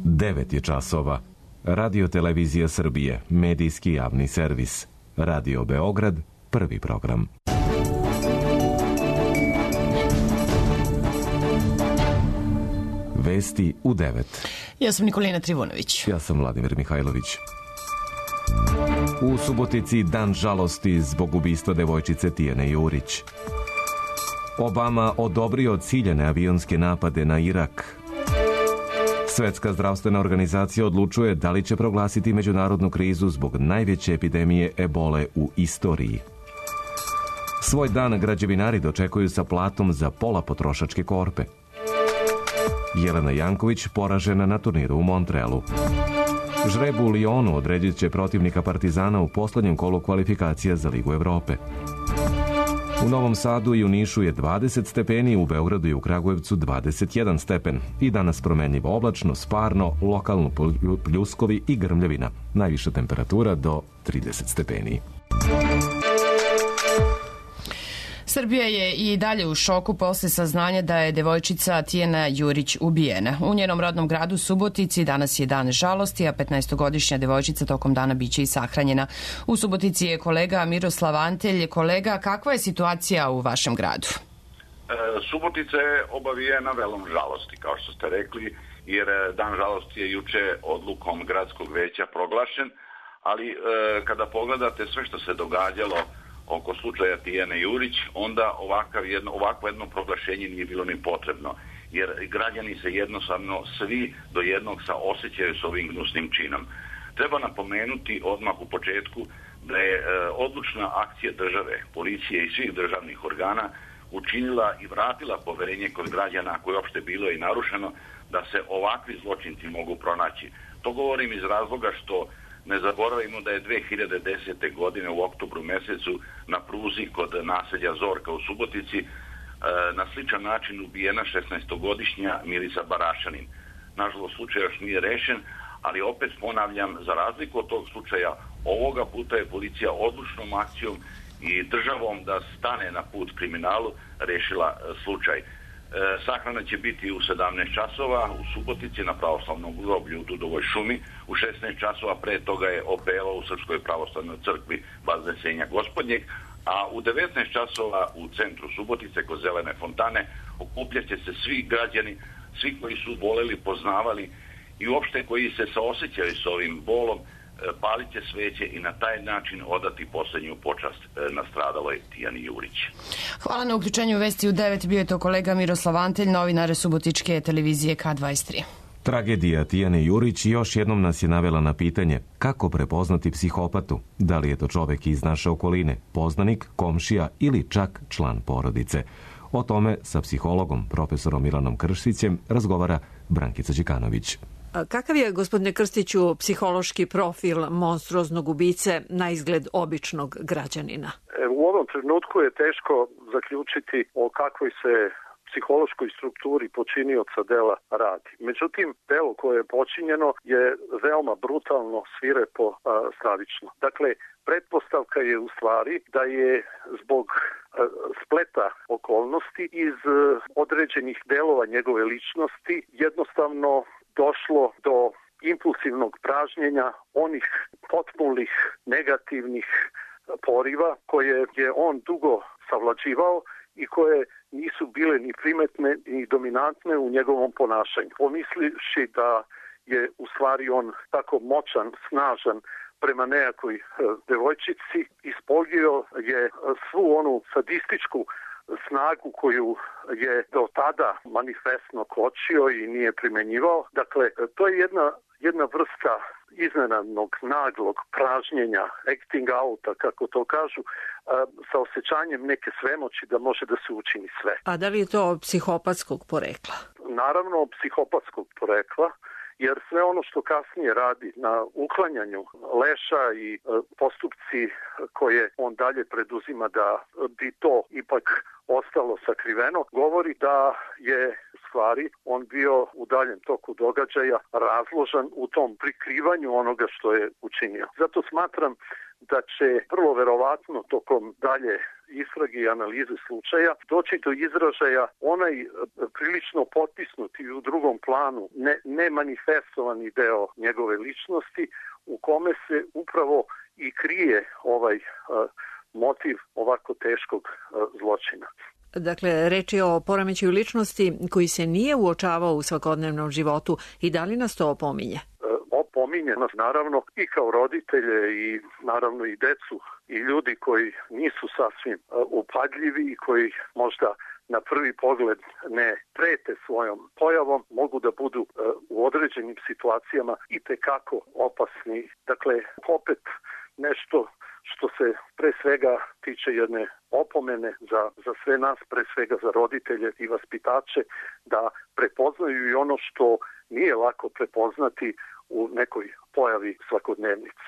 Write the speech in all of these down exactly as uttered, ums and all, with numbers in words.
devet je časova. Radio Televizija Srbije, medijski javni servis. Radio Beograd, prvi program. Vesti u devet. Ja sam Nikolina Trivunović. Ja sam Vladimir Mihajlović. U Subotici dan žalosti zbog ubistva devojčice Tijane Jurić. Obama odobrio ciljane avionske napade na Irak. Svetska zdravstvena organizacija odlučuje da li će proglasiti međunarodnu krizu zbog najveće epidemije ebole u istoriji. Svoj dan građevinari dočekuju sa platom za pola potrošačke korpe. Jelena Janković poražena na turniru u Montrealu. Žreb u Lionu odredit će protivnika Partizana u poslednjem kolu kvalifikacija za Ligu Evrope. U Novom Sadu i u Nišu je dvadeset stepeni, u Beogradu i u Kragujevcu dvadeset jedan stepen. I danas promenljivo oblačno, sparno, lokalno pljuskovi i grmljavina. Najviša temperatura do trideset stepeni. Srbija je i dalje u šoku posle saznanja da je devojčica Tijana Jurić ubijena. U njenom rodnom gradu Subotici danas je dan žalosti, a petnaestogodišnja devojčica tokom dana biće i sahranjena. U Subotici je kolega Miroslav Antelj. Kolega, kakva je situacija u vašem gradu? E, Subotica je obavijena velom žalosti, kao što ste rekli, jer dan žalosti je juče odlukom gradskog veća proglašen, ali e, kada pogledate sve što se događalo oko slučaja Tijane Jurić, onda ovakav jedno, ovakvo jedno proglašenje nije bilo ni potrebno, jer građani se jednostavno svi do jednog saosećaju s ovim gnusnim činom. Treba napomenuti odmah u početku da je e, odlučna akcija države, policije i svih državnih organa učinila i vratila poverenje kod građana, koje uopšte bilo i narušeno, da se ovakvi zločinci mogu pronaći. To govorim iz razloga što ne zaboravimo da je dve hiljade desete. godine u oktobru mesecu na pruzi kod naselja Zorka u Subotici e, na sličan način ubijena šesnaestogodišnja Milica Barašanin. Nažalost, slučaj još nije rešen, ali opet ponavljam, za razliku od tog slučaja, ovoga puta je policija odlučnom akcijom i državom da stane na put kriminalu rešila e, slučaj. E, sahrana će biti u sedamnaest časova u Subotici na pravoslavnom groblju u Dudovoj šumi. U šesnaest časova pre toga je opeva u Srpskoj pravoslavnoj crkvi Vaznesenja Gospodnjeg, a u devetnaest časova u centru Subotice kod Zelene fontane okupljaće se svi građani, svi koji su voleli, poznavali i uopšte koji se saosećaju s ovim bolom, palit će sveće i na taj način odati poslednju počast nastradaloj Tijani Jurić. Hvala na uključenju Vesti u devet. Bio je to kolega Miroslav Antelj, novinar Subotičke televizije K dvadeset tri. Tragedija Tijane Jurić još jednom nas je navela na pitanje kako prepoznati psihopatu. Da li je to čovek iz naše okoline, poznanik, komšija ili čak član porodice? O tome sa psihologom, profesorom Milanom Krstićem, razgovara Brankica Đikanović. Kakav je, gospodine Krstiću, psihološki profil monstruoznog ubice na izgled običnog građanina? U ovom trenutku je teško zaključiti o kakvoj se psihološkoj strukturi počinioca dela radi. Međutim, delo koje je počinjeno je veoma brutalno, svirepo, stravično. Dakle, pretpostavka je u stvari da je zbog spleta okolnosti iz određenih delova njegove ličnosti jednostavno došlo do impulsivnog pražnjenja onih potpulih negativnih poriva koje je on dugo savlađivao i koje nisu bile ni primetne ni dominantne u njegovom ponašanju. Pomisliši da je u stvari on tako moćan, snažan prema nejakoj devojčici, ispoljio je svu onu sadističku snagu koju je do tada manifestno kočio i nije primenjivao. Dakle, to je jedna, jedna vrsta iznenadnog, naglog pražnjenja, acting outa, kako to kažu, sa osjećanjem neke svemoći da može da se učini sve. A da li je to psihopatskog porekla? Naravno, psihopatskog porekla, jer sve ono što kasnije radi na uklanjanju leša i postupci koje on dalje preduzima da bi to ipak ostalo sakriveno, govori da je u stvari on bio u daljem toku događaja razložan u tom prikrivanju onoga što je učinio. Zato smatram da će vrlo verovatno tokom dalje istrage i analize slučaja doći do izražaja onaj prilično potisnuti u drugom planu, ne, ne manifestovani deo njegove ličnosti u kome se upravo i krije ovaj uh, motiv ovako teškog uh, zločina. Dakle, reč je o poremećaju ličnosti koji se nije uočavao u svakodnevnom životu i da li nas to opominje? Opominje nas naravno i kao roditelje i naravno i decu i ljudi koji nisu sasvim upadljivi i koji možda na prvi pogled ne prete svojom pojavom, mogu da budu u određenim situacijama i tekako opasni. Dakle, opet nešto što se pre svega tiče jedne opomene za, za sve nas, pre svega za roditelje i vaspitače, da prepoznaju i ono što nije lako prepoznati u nekoj pojavi svakodnevnice.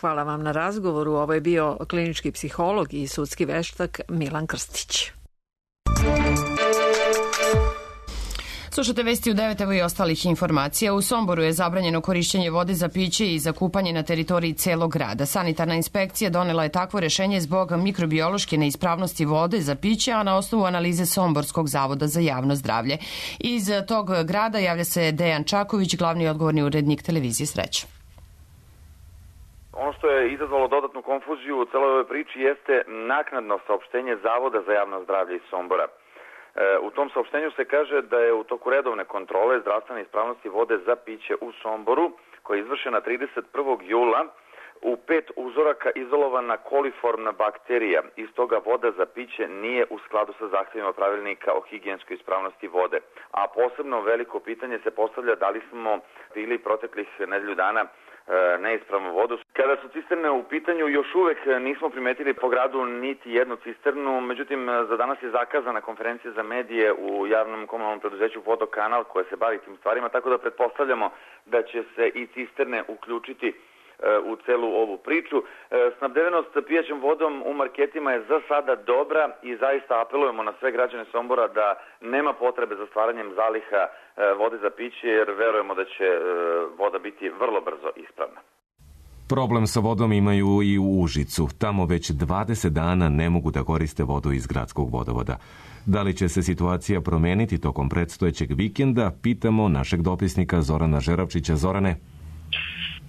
Hvala vam na razgovoru. Ovo je bio klinički psiholog i sudski veštak Milan Krstić. Slušate vesti u devet, evo i ostalih informacija. U Somboru je zabranjeno korišćenje vode za piće i za kupanje na teritoriji celog grada. Sanitarna inspekcija donela je takvo rešenje zbog mikrobiološke neispravnosti vode za piće, a na osnovu analize Somborskog zavoda za javno zdravlje. Iz tog grada javlja se Dejan Čaković, glavni odgovorni urednik televizije Sreća. Ono što je izazvalo dodatnu konfuziju u celoj ovoj priči jeste naknadno saopštenje Zavoda za javno zdravlje iz Sombora. U tom saopštenju se kaže da je u toku redovne kontrole zdravstvene ispravnosti vode za piće u Somboru, koja je izvršena trideset prvog jula, u pet uzoraka izolovana koliformna bakterija. Iz toga voda za piće nije u skladu sa zahtjevima pravilnika o higijenskoj ispravnosti vode. A posebno veliko pitanje se postavlja da li smo pili proteklih nedelju dana neispravnu vodu. Kada su cisterne u pitanju, još uvek nismo primetili po gradu niti jednu cisternu, međutim za danas je zakazana konferencija za medije u javnom komunalnom preduzeću Vodokanal koje se bavi tim stvarima, tako da pretpostavljamo da će se i cisterne uključiti u celu ovu priču. Snabdevenost pijaćom vodom u marketima je za sada dobra i zaista apelujemo na sve građane Sombora da nema potrebe za stvaranjem zaliha vode za piće, jer verujemo da će voda biti vrlo brzo ispravna. Problem sa vodom imaju i u Užicu. Tamo već dvadeset dana ne mogu da koriste vodu iz gradskog vodovoda. Da li će se situacija promeniti tokom predstojećeg vikenda, pitamo našeg dopisnika Zorana Žeravčića. Zorane?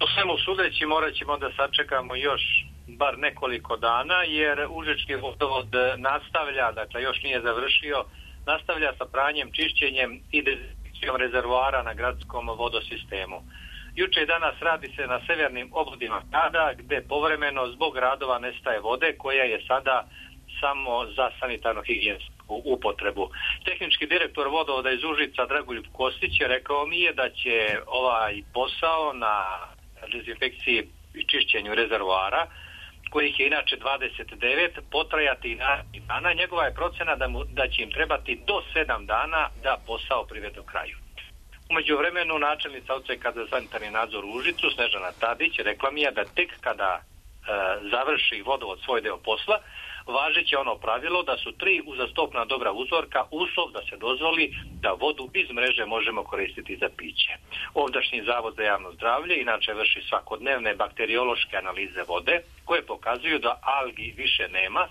Po svemu sudeći morat ćemo da sačekamo još bar nekoliko dana, jer Užički vodovod nastavlja, dakle još nije završio, nastavlja sa pranjem, čišćenjem i dezinfekcijom rezervoara na gradskom vodosistemu. Juče i danas radi se na severnim obvodima grada, gde povremeno zbog radova nestaje vode, koja je sada samo za sanitarno-higijensku upotrebu. Tehnički direktor vodovoda iz Užica Dragoljub Kostić je rekao mi je da će ovaj posao na dezinfekciji i čišćenju rezervoara, kojih je inače dvadeset devet, potrajati i narednih dana. Njegova je procena da, mu, da će im trebati do sedam dana da posao privede u kraju. Umeđu vremenu načelnica odseka za sanitarni nadzor u Užicu, Snežana Tadić, rekla mi je da tek kada e, završi vodovod svoj deo posla, važeće ono pravilo da su tri uzastopna dobra uzorka uslov da se dozvoli da vodu iz mreže možemo koristiti za piće. Ovdašnji Zavod za javno zdravlje inače vrši svakodnevne bakteriološke analize vode koje pokazuju da algi više nema,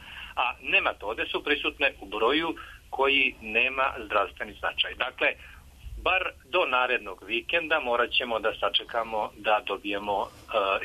a nematode su prisutne u broju koji nema zdravstveni značaj. Dakle, bar do narednog vikenda morat ćemo da sačekamo da dobijemo uh,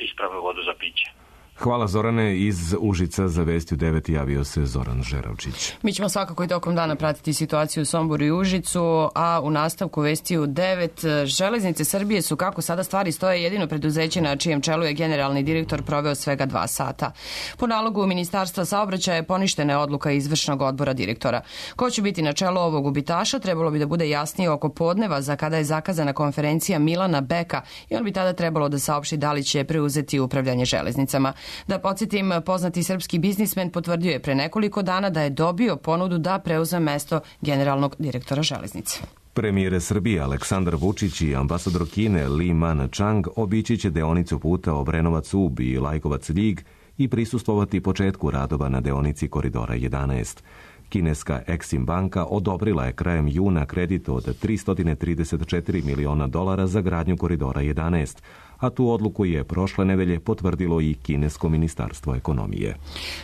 ispravnu vodu za piće. Hvala Zorane. Iz Užica za Vesti u devet javio se Zoran Žeravčić. Mi ćemo svakako i tokom dana pratiti situaciju u Somboru i Užicu, a u nastavku Vesti u devet Železnice Srbije su, kako sada stvari stoje, jedino preduzeće na čijem čelu je generalni direktor proveo svega dva sata. Po nalogu Ministarstva saobraćaja je poništena odluka izvršnog odbora direktora. Ko će biti na čelu ovog gubitaša trebalo bi da bude jasnije oko podneva za kada je zakazana konferencija Milana Beka i on bi tada trebalo da saopšti da li će preuzeti upravljanje železnicama. Da podsjetim, poznati srpski biznismen potvrdio je pre nekoliko dana da je dobio ponudu da preuzme mesto generalnog direktora železnice. Premijer Srbije Aleksandar Vučić i ambasador Kine Li Man-chang obići će deonicu puta Obrenovac-Ub i Lajkovac-Ljig i prisustvovati početku radova na deonici Koridora jedanaest. Kineska Exim banka odobrila je krajem juna kredit od tristo trideset četiri miliona dolara za gradnju Koridora jedanaest, a tu odluku je prošle nedelje potvrdilo i kinesko ministarstvo ekonomije.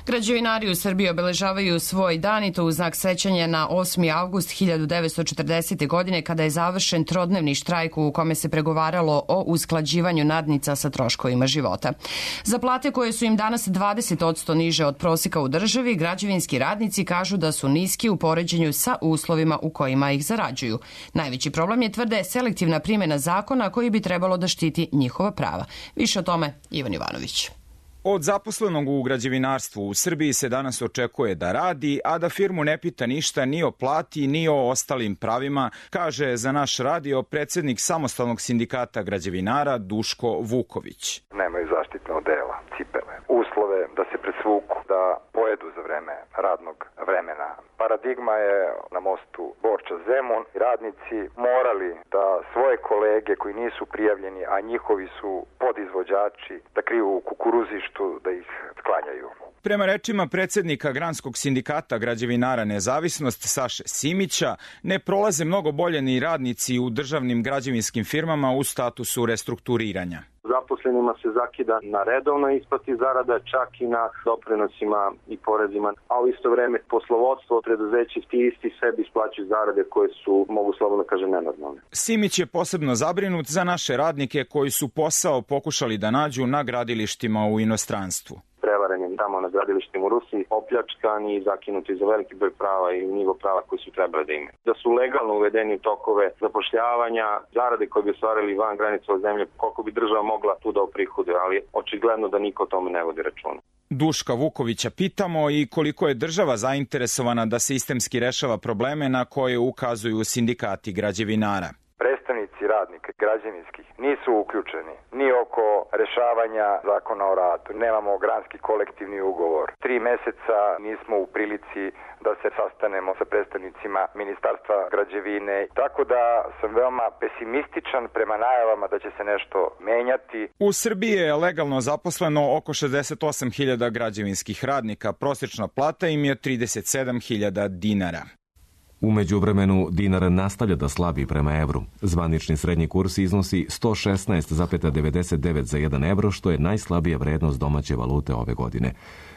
Građevinari u Srbiji obeležavaju svoj dan i to u znak sećanja na osmi avgust hiljadu devetsto četrdesete. godine kada je završen trodnevni štrajk u kome se pregovaralo o usklađivanju nadnica sa troškovima života. Za plate koje su im danas dvadeset posto niže od proseka u državi, građevinski radnici kažu da su niski u poređenju sa uslovima u kojima ih zarađuju. Najveći problem je, tvrde, selektivna primjena zakona koji bi trebalo da štiti njihova prava. Više o tome Ivan Jovanović. Od zaposlenog u građevinarstvu u Srbiji se danas očekuje da radi, a da firmu ne pita ništa ni o plati, ni o ostalim pravima, kaže za naš radio predsjednik samostalnog sindikata građevinara Duško Vuković. Nemaju zaštitne odela, cipele, uslove da se presvuku, da pojedu za vreme radnog vremena. Paradigma je na mostu Borča-Zemun. Radnici morali da svoje kolege koji nisu prijavljeni, a njihovi su podizvođači, da kriju u kukuruzištu, da ih sklanjaju. Prema rečima predsjednika Granskog sindikata građevinara Nezavisnost Saše Simića, ne prolaze mnogo bolje ni radnici u državnim građevinskim firmama u statusu restrukturiranja. Zaposlenima se zakida na redovnoj isplati zarada, čak i na doprinosima i porezima, a u isto vreme poslovodstvo preduzeća ti isti sebi isplaćuju zarade koje su, mogu slobodno kažem, nenormalne. Simić je posebno zabrinut za naše radnike koji su posao pokušali da nađu na gradilištima u inostranstvu. Prevaren je tamo na gradilištima u Rusiji, opljačkani i zakinuti za veliki broj prava i nivo prava koji su trebali da imaju. Da su legalno uvedeni u tokove zapošljavanja, zarade koje bi ostvarili van granica zemlje, koliko bi država mogla tu da oprihoduje, ali očigledno da niko o tome ne vodi računa. Duška Vukovića pitamo i koliko je država zainteresovana da sistemski rešava probleme na koje ukazuju sindikati građevinara. Predstavnici radnika građevinskih nisu uključeni ni oko rešavanja zakona o radu. Nemamo granski kolektivni ugovor. Tri meseca nismo u prilici da se sastanemo sa predstavnicima Ministarstva građevine. Tako da sam veoma pesimističan prema najavama da će se nešto menjati. U Srbiji je legalno zaposleno oko šezdeset osam hiljada građevinskih radnika. Prosječna plata im je trideset sedam hiljada dinara. U međuvremenu dinar nastavlja da slabi prema evru. Zvanični srednji kurs iznosi sto šesnaest zarez devedeset devet za jedan evro, što je najslabija vrednost domaće valute ove godine.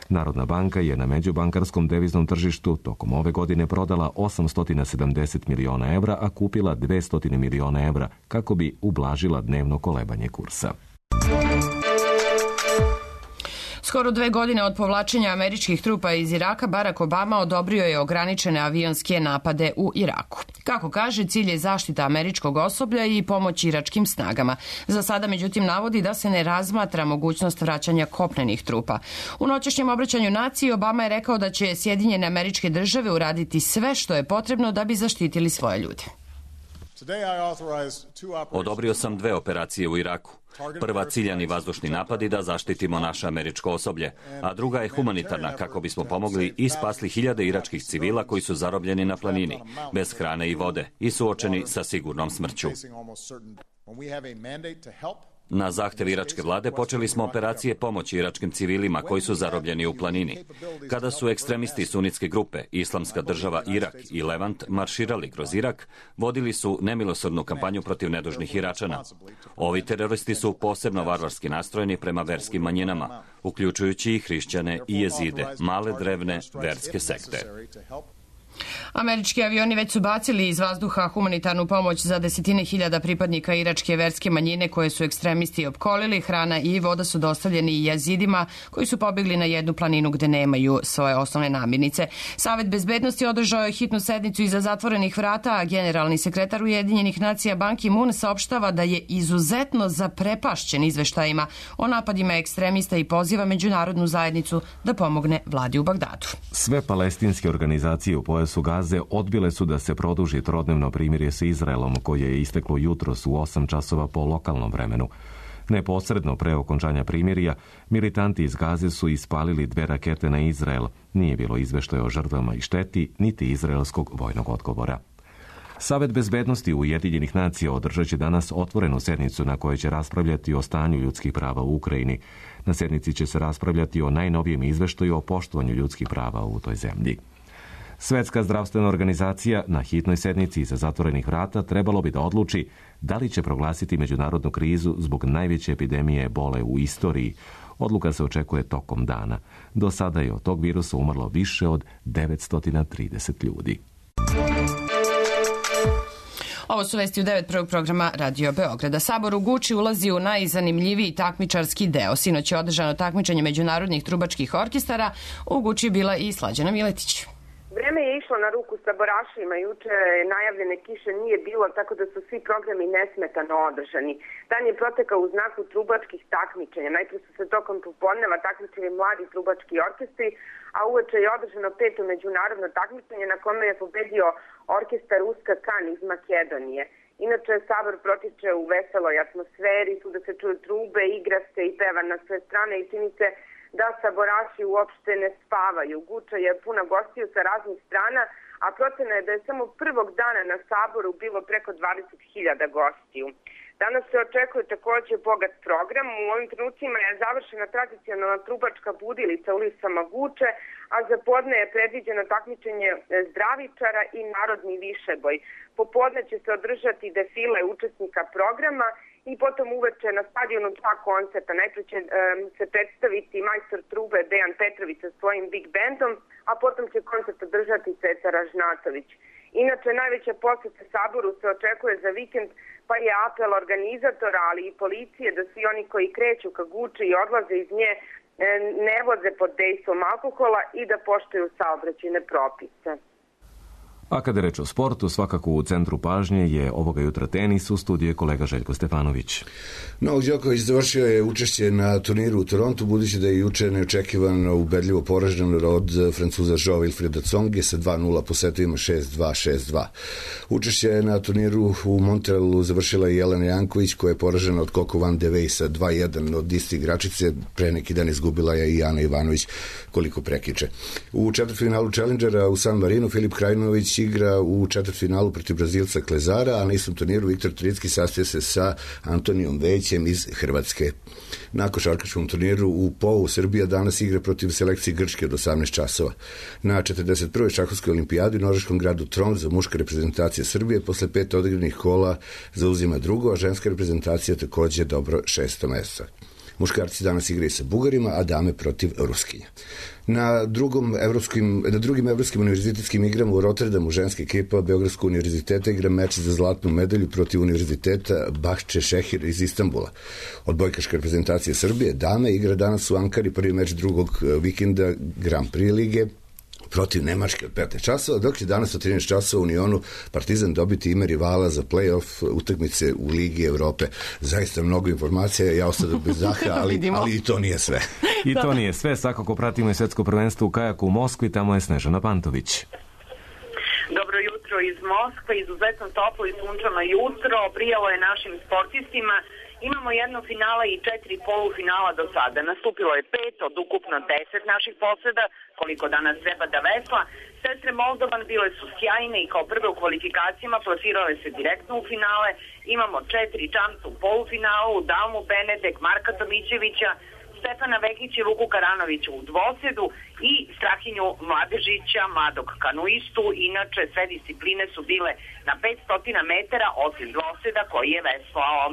Narodna banka je na međubankarskom deviznom tržištu tokom ove godine prodala osamsto sedamdeset miliona evra, a kupila dvesta miliona evra kako bi ublažila dnevno kolebanje kursa. Skoro dve godine od povlačenja američkih trupa iz Iraka, Barack Obama odobrio je ograničene avionske napade u Iraku. Kako kaže, cilj je zaštita američkog osoblja i pomoć iračkim snagama. Za sada, međutim, navodi da se ne razmatra mogućnost vraćanja kopnenih trupa. U noćašnjem obraćanju naciji Obama je rekao da će Sjedinjene Američke Države uraditi sve što je potrebno da bi zaštitili svoje ljude. Odobrio sam dve operacije u Iraku. Prva, ciljani vazdušni napadi da zaštitimo naše američko osoblje, a druga je humanitarna kako bismo pomogli i spasli hiljade iračkih civila koji su zarobljeni na planini, bez hrane i vode i suočeni sa sigurnom smrću. Na zahtev iračke vlade počeli smo operacije pomoći iračkim civilima koji su zarobljeni u planini. Kada su ekstremisti sunitske grupe Islamska država Irak i Levant marširali kroz Irak, vodili su nemilosrdnu kampanju protiv nedužnih Iračana. Ovi teroristi su posebno varvarski nastrojeni prema verskim manjinama, uključujući i hrišćane i jezide, male drevne verske sekte. Američki avioni već su bacili iz vazduha humanitarnu pomoć za desetine hiljada pripadnika iračke verske manjine koje su ekstremisti opkolili. Hrana i voda su dostavljeni i jezidima koji su pobjegli na jednu planinu gde nemaju svoje osnovne namirnice. Savet bezbednosti održao je hitnu sednicu iza zatvorenih vrata, a generalni sekretar Ujedinjenih nacija Ban Ki-moon saopštava da je izuzetno zaprepašćen izveštajima o napadima ekstremista i poziva međunarodnu zajednicu da pomogne vladi u Bagdadu. Sve palestinske organizacije u pojasu Gaze odbile su da se produži trodnevno primirje sa Izraelom koje je isteklo jutros u osam časova po lokalnom vremenu. Neposredno pre okončanja primirja, militanti iz Gaze su ispalili dve rakete na Izrael. Nije bilo izveštaja o žrtvama i šteti, niti izraelskog vojnog odgovora. Savet bezbednosti Ujedinjenih nacija održat će danas otvorenu sednicu na kojoj će raspravljati o stanju ljudskih prava u Ukrajini. Na sednici će se raspravljati o najnovijem izveštaju o poštovanju ljudskih prava u toj zemlji. Svetska zdravstvena organizacija na hitnoj sednici iza zatvorenih vrata trebalo bi da odluči da li će proglasiti međunarodnu krizu zbog najveće epidemije ebole u istoriji. Odluka se očekuje tokom dana. Do sada je od tog virusa umrlo više od devetsto trideset ljudi. Ovo su vesti u devet prvog programa Radio Beograda. Sabor u Guči ulazi u najzanimljiviji takmičarski deo. Sinoć je održano takmičenje međunarodnih trubačkih orkestara. U Guči je bila i Slađana Miletić. Vreme je išlo na ruku sabораšima, juče najavljene kiše nije bilo, tako da su svi programi nesmetano održani. Dan je protekao u znaku trubačkih takmičenja. Najpre su se tokom popodneva takmičili mladi trubački orkestri, a uveče je održano peto međunarodno takmičenje na kome je pobedio orkestar Uska Kan iz Makedonije. Inače, sabor protiče u veseloj atmosferi, tu da se čuju trube, igra se i peva na sve strane i čini se da saboraši uopšte ne spavaju. Guča je puna gostiju sa raznih strana, a procena je da je samo prvog dana na saboru bilo preko dvadeset hiljada gostiju. Danas se očekuje takođe bogat program. U ovim trenucima je završena tradicionalna trubačka budilica ulicama Guče, a za podne je predviđeno takmičenje zdravičara i narodni višeboj. Popodne će se održati defile učesnika programa i potom uveče na stadionu dva koncerta. Najpre će um, se predstaviti majstor trube Dejan Petrović sa svojim big bandom, a potom će koncert održati Ceca Ražnatović. Inače, najveća poseta saboru se očekuje za vikend, pa je apel organizatora, ali i policije da svi oni koji kreću ka Guči i odlaze iz nje ne voze pod dejstvom alkohola i da poštuju saobraćajne propise. A kada je reč o sportu, svakako u centru pažnje je ovoga jutra tenis, u studiju je kolega Željko Stefanović. Novak Đoković završio je učešće na turniru u Torontu, budući da je juče neočekivano ubedljivo poražen od Francuza Joao Wilfreda Tsonge sa dva nula po setovima šest dva šest dva. Učešće na turniru u Montrealu završila i Jelena Janković, koja je poražena od Coco Van de Wey sa dva jedan od iste igračice. Pre neki dan izgubila je i Ana Ivanović koliko prekiče. U četvrtfinalu Challengera u San Marinu Filip Krajinović igra u četvrtfinalu protiv Brazilca Klezara, a na istom turniru Viktor Tricki sastaje se sa Antonijom Većem iz Hrvatske. Na košarkaškom turniru u Pou Srbija danas igra protiv selekcije Grčke od osamnaest časova. Na četrdeset prvoj šahovskoj olimpijadi u norveškom gradu Tromsø muška reprezentacija Srbije posle pet odigranih kola zauzima drugo, a ženska reprezentacija takođe dobro šesto mesto. Muškarci danas igraju sa Bugarima, a dame protiv Ruskinja. Na, drugom evropskim, na drugim evropskim univerzitetskim igrama u Rotterdamu ženska ekipa Beogradskog univerziteta igra meč za zlatnu medalju protiv univerziteta Bahče Šehir iz Istanbula. Odbojkaška reprezentacija Srbije dame igra danas u Ankari prvi meč drugog vikenda Grand Prix lige protiv Nemačke od petnaest časova, dok će danas od trinaest časova u Unionu Partizan dobiti ime rivala za play-off utakmice u Ligi Evrope. Zaista mnogo informacija, ja ostao bez zaha, ali, ali i to nije sve. I to nije sve, svakako pratimo i svetsko prvenstvo u kajaku u Moskvi, tamo je Snežana Pantović. Dobro jutro iz Moskve, izuzetno toplo i sunčano jutro, prijalo je našim sportistima. Imamo jedno finala i četiri polufinala do sada. Nastupilo je pet od ukupno deset naših poseda, koliko danas treba da vesla. Sestre Moldovan bile su sjajne i kao prve u kvalifikacijama plasirale se direktno u finale. Imamo četiri čamca u polufinalu, Dalmu Benedek, Marka Tomićevića, Stefana Vekić i Luku Karanovića u dvosedu i Strahinju Mladežića, mladog kanuistu. Inače, sve discipline su bile na petsto metara, osim dvoseda koji je veslao.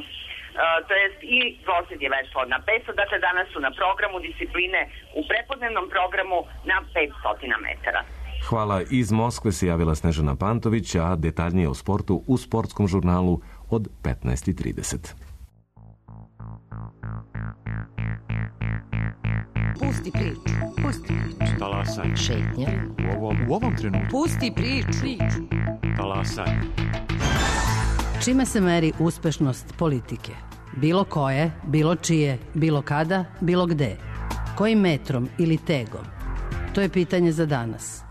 Uh, to jest i dvosed je veslao na petsto, dakle danas su na programu discipline u prepodnevnom programu na petsto metara. Hvala. Iz Moskve se javila Snežana Pantović, a detaljnije o sportu u sportskom žurnalu od petnaest trideset. Pusti priču. Pusti priču. Talasaj. Šetnja. U ovom, u ovom trenutku. Pusti priču. Talasaj. Čime se meri uspešnost politike? Bilo koje, bilo čije, bilo kada, bilo gde. Kojim metrom ili tegom? To je pitanje za danas.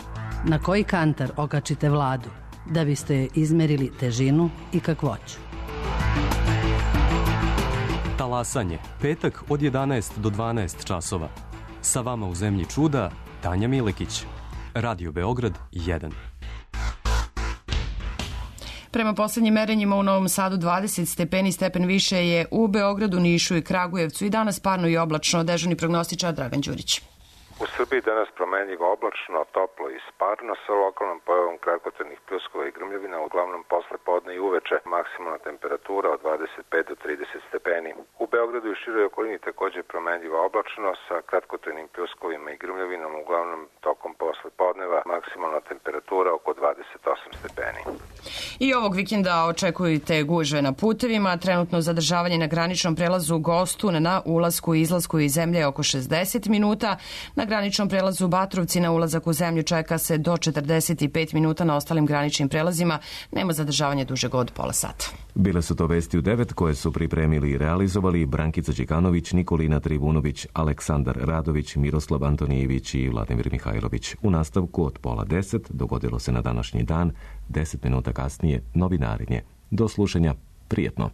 Na koji kantar okačite vladu da biste joj izmerili težinu i kakvoću? Talasanje, petak od jedanaest do dvanaest časova. Sa vama u zemlji čuda, Tanja Milekić. Radio Beograd jedan. Prema poslednjim merenjima u Novom Sadu dvadeset stepeni, stepen više je u Beogradu, Nišu i Kragujevcu i danas parno i oblačno. Dežurni prognostičar Dragan Đurić. U Srbiji danas promenljivo oblačno, toplo i sparno sa lokalnom pojavom kratkotrajnih pljuskova i grmljavina, uglavnom posle podne i uveče, maksimalna temperatura od dvadeset pet do trideset stepeni. U Beogradu i široj okolini takođe promenljivo oblačno sa kratkotrajnim pljuskovima i grmljavinom, uglavnom tokom posle podneva, maksimalna temperatura oko dvadeset osam stepeni. I ovog vikenda očekujte gužve na putevima, trenutno zadržavanje na graničnom prelazu Gostun na ulasku i izlasku iz zemlje oko šezdeset minuta, na graničnom prelazu Batrovci na ulazak u zemlju čeka se do četrdeset pet minuta, na ostalim graničnim prelazima nema zadržavanja dužeg od pola sata. Bile su to vesti u devet koje su pripremili i realizovali Brankica Đikanović, Nikolina Trivunović, Aleksandar Radović, Miroslav Antonijević i Vladimir Mihajlović. U nastavku od pola deset dogodilo se na današnji dan, deset minuta kasnije novinarenje. Do slušanja, prijetno.